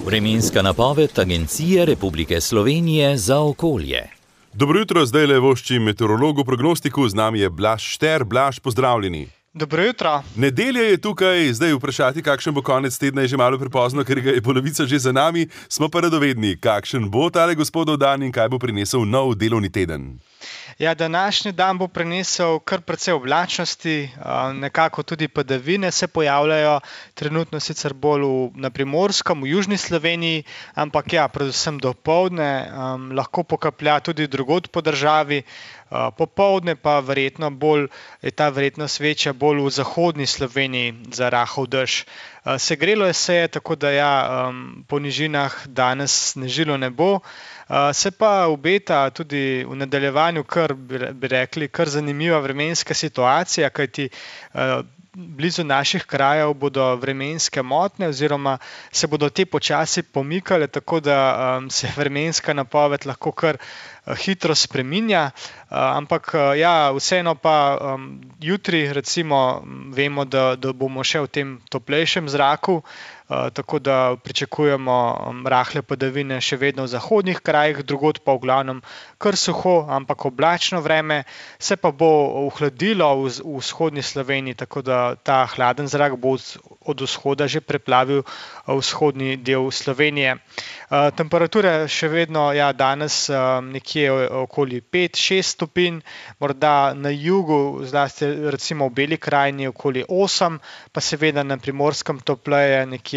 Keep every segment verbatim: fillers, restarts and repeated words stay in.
Vremenska napoved Agencije Republike Slovenije za okolje. Dobro jutro, zdaj le vošči meteorologu prognostiku, z nami je Blaž Šter. Blaž, pozdravljeni. Dobro jutro. Nedelja je tukaj, zdaj vprašati, kakšen bo konec tedna, je že malo prepozno, ker ga je polovica že za nami. Smo pa radovedni, kakšen bo tale gospodov dan in kaj bo prinesel nov delovni teden. Ja, današnji dan bo prinesel kar precej oblačnosti, nekako tudi padavine se pojavljajo, trenutno sicer bolj v, na Primorskem, v južni Sloveniji, ampak ja, predvsem dopoldne, um, lahko pokaplja tudi drugod po državi, uh, popoldne pa verjetno bolj, je ta verjetnost večja bolj v zahodni Sloveniji za rahel dež. Uh, segrelo je se, tako da ja, um, po nižinah danes snežilo ne bo. Uh, se pa obeta tudi v nadaljevanju, kar bi rekli, kar zanimiva vremenska situacija, kajti uh, blizu naših krajev bodo vremenske motnje oziroma se bodo te počasi pomikale, tako da um, se vremenska napoved lahko kar uh, hitro spreminja, uh, ampak uh, ja, vseeno pa um, jutri recimo vemo, da, da bomo še v tem toplejšem zraku, Uh, tako da pričakujemo um, rahle padavine še vedno v zahodnih krajih, drugod pa v glavnem kar suho, ampak oblačno vreme, se pa bo ohladilo v, v vzhodni Sloveniji, tako da ta hladen zrak bo od vzhoda že preplavil vzhodni del Slovenije. Uh, temperature še vedno ja, danes uh, nekje okoli pet šest stopinj, morda na jugu, zlasti recimo v Beli krajini okoli osem, pa seveda na Primorskem topleje nekje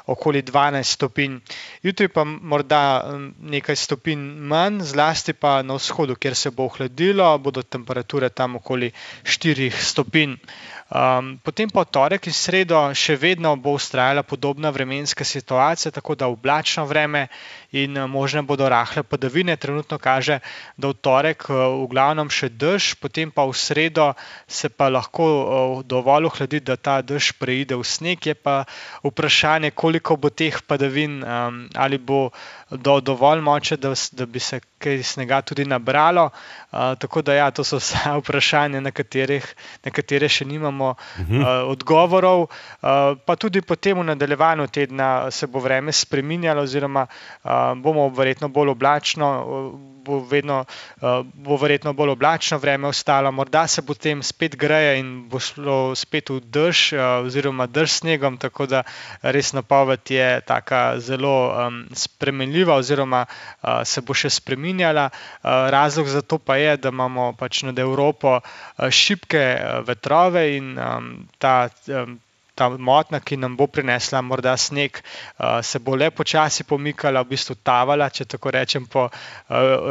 okoli dvanajst stopinj. Jutri pa morda nekaj stopinj manj, zlasti pa na vzhodu, kjer se bo ohladilo, bodo temperature tam okoli štirih stopinj. Um, potem pa v torek in sredo še vedno bo vztrajala podobna vremenska situacija, tako da oblačno vreme in možne bodo rahle padavine. Trenutno kaže, da v torek v glavnem še dež, potem pa v sredo se pa lahko dovolj ohladi, da ta dež preide v sneg. Je pa vprašanje, koliko bo teh padavin, um, ali bo do, dovolj moče, da, da bi se kaj snega tudi nabralo. Uh, tako da ja, to so vsa vprašanja, na, katerih, na katere še nimamo Uh-huh. Uh, odgovorov, uh, pa tudi potem v nadaljevanju tedna se bo vreme spreminjalo oziroma uh, bomo verjetno bolj oblačno, uh, bo, vedno, uh, bo verjetno bolj oblačno vreme ostalo, morda se potem spet greje in bo šlo spet v dež uh, oziroma dež s snegom, tako da res napoved je taka zelo um, spremenljiva oziroma uh, se bo še spreminjala. Uh, razlog za to pa je, da imamo pač nad Evropo uh, šibke uh, vetrove in Um, ta, um, ta motna, ki nam bo prinesla morda sneg, uh, se bo le počasi pomikala, v bistvu tavala, če tako rečem, po uh,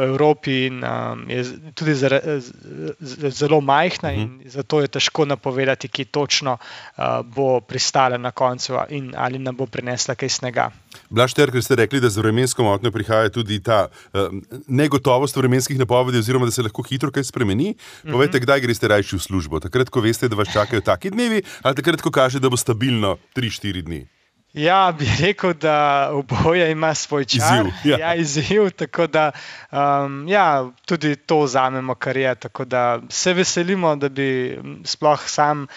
Evropi in um, je tudi zare, z, z, zelo majhna in uh-huh. zato je težko napovedati, ki točno uh, bo pristala na koncu in ali nam bo prinesla kaj snega. Blaž Šter, ker ste rekli, da z vremensko motnjo prihaja tudi ta uh, negotovost vremenskih napovedi oziroma da se lahko hitro kaj spremeni. Povejte, uh-huh. kdaj greste rajši v službo? Takrat, ko veste, da vas čakajo taki dnevi, ali takrat, ko kaže, da bo stabilno tri štiri dni? Ja, bi rekel, da oboje ima svoj čar. Izziv, ja. Ja, izziv, tako da um, ja, tudi to vzamemo, kar je, tako da se veselimo, da bi sploh sam,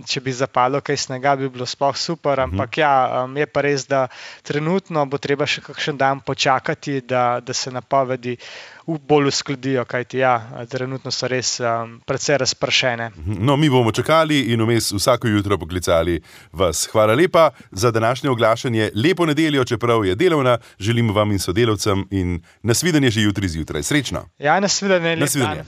če bi zapalo kaj snega, bi bilo sploh super, ampak ja, um, je pa res, da trenutno bo treba še kakšen dan počakati, da, da se napovedi bolj uskladijo, kajti ja, trenutno so res um, precej razpršene. No, mi bomo čakali in vmes vsako jutro poklicali vas. Hvala lepa za današnje oglašanje. Lepo nedeljo, čeprav je delovna, želimo vam in sodelavcem in nasvidenje že jutri zjutraj. Srečno! Ja, nasvidenje, lep dan.